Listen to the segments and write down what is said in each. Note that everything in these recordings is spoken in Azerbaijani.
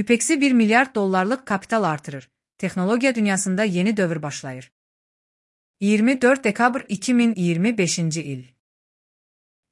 Upex'i 1 milyard dollarlıq kapital artırır. Texnologiya dünyasında yeni dövr başlayır. 24 dekabr 2025 il.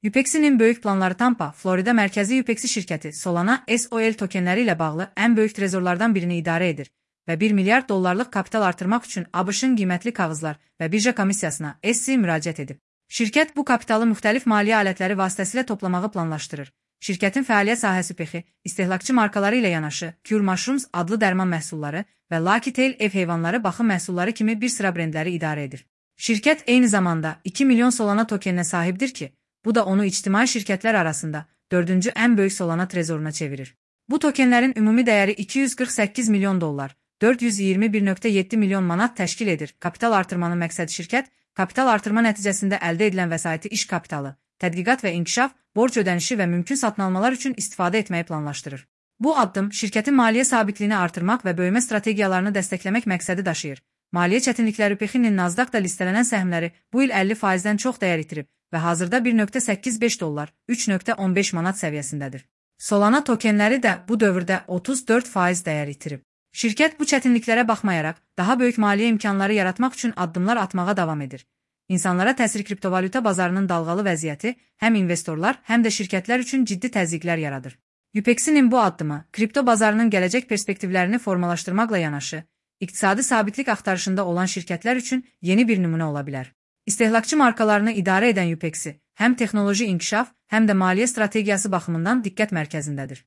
Upex'in böyük planları Tampa, Florida mərkəzi Upex'i şirkəti Solana SOL tokenləri ilə bağlı ən böyük trezorlardan birini idarə edir və 1 milyard dollarlıq kapital artırmaq üçün ABŞ-ın qiymətli kağızlar və birja komissiyasına SEC müraciət edib. Şirkət bu kapitalı müxtəlif maliyyə alətləri vasitəsilə toplamağı planlaşdırır. Şirkətin fəaliyyət sahəsi Upex'i, istehlakçı markaları ilə yanaşı Cure Mushrooms adlı dərman məhsulları və Lucky Tail ev heyvanları baxım məhsulları kimi bir sıra brendləri idarə edir. Şirkət eyni zamanda 2 milyon Solana tokeninə sahibdir ki, bu da onu ictimai şirkətlər arasında 4-cü ən böyük Solana trezoruna çevirir. Bu tokenlərin ümumi dəyəri 248 milyon dollar, 421,7 milyon manat təşkil edir. Kapital artırmanın məqsədi şirkət, kapital artırma nəticəsində əldə edilən vəsaiti iş kapitalı, tədqiqat və inkişaf, borc ödənişi və mümkün satın almalar üçün istifadə etməyi planlaşdırır. Bu addım şirkətin maliyyə sabitliyini artırmaq və böyümə strategiyalarını dəstəkləmək məqsədi daşıyır. Maliyyə çətinlikləri Upex'in Nasdaqda listelənən səhmləri bu il 50%-dən çox dəyər itirib və hazırda 1,85 dollar, 3,15 manat səviyyəsindədir. Solana tokenləri də bu dövrdə 34% dəyər itirib. Şirkət bu çətinliklərə baxmayaraq, daha böyük maliyyə imkanları yaratmaq üçün addımlar atmağa davam edir. İnsanlara təsir kriptovalyuta bazarının dalğalı vəziyyəti həm investorlar, həm də şirkətlər üçün ciddi təzyiqlər yaradır. Upex'in bu addımı, kripto bazarının gələcək perspektivlərini formalaşdırmaqla yanaşı, iqtisadi sabitlik axtarışında olan şirkətlər üçün yeni bir nümunə ola bilər. İstehlakçı markalarını idarə edən Upex'i həm texnoloji inkişaf, həm də maliyyə strategiyası baxımından diqqət mərkəzindədir.